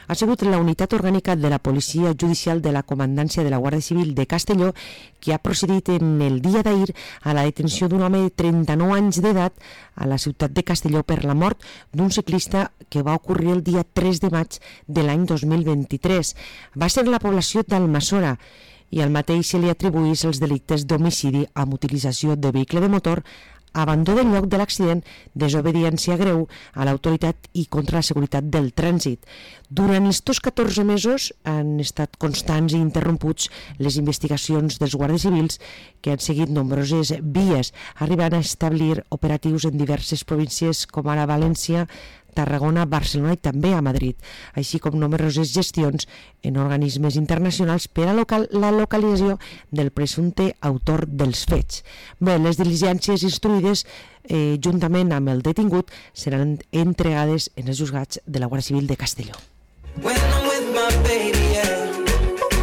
Ha sigut la unitat orgànica de la Policia Judicial de la Comandància de la Guàrdia Civil de Castelló qui ha procedit en el dia d'ahir a la detenció d'un home de 39 anys d'edat a la ciutat de Castelló per la mort d'un ciclista que va ocorrir el dia 3 de maig de l'any 2023. Va ser la població d'Almassora i al mateix se li atribueix els delictes d'homicidi amb utilització de vehicle de motor, abandó del lloc de l'accident, desobediència greu a l'autoritat i contra la seguretat del trànsit. Durant estos 14 mesos han estat constants i interromputs les investigacions dels guàrdies civils que han seguit nombroses vies, arribant a establir operatius en diverses províncies com ara València, Tarragona, Barcelona i també a Madrid, així com nombroses gestions en organismes internacionals per a la localització del presumpte autor dels fets. Bé, les diligències instruïdes juntament amb el detingut seran entregades en els juzgats de la Guàrdia Civil de Castelló.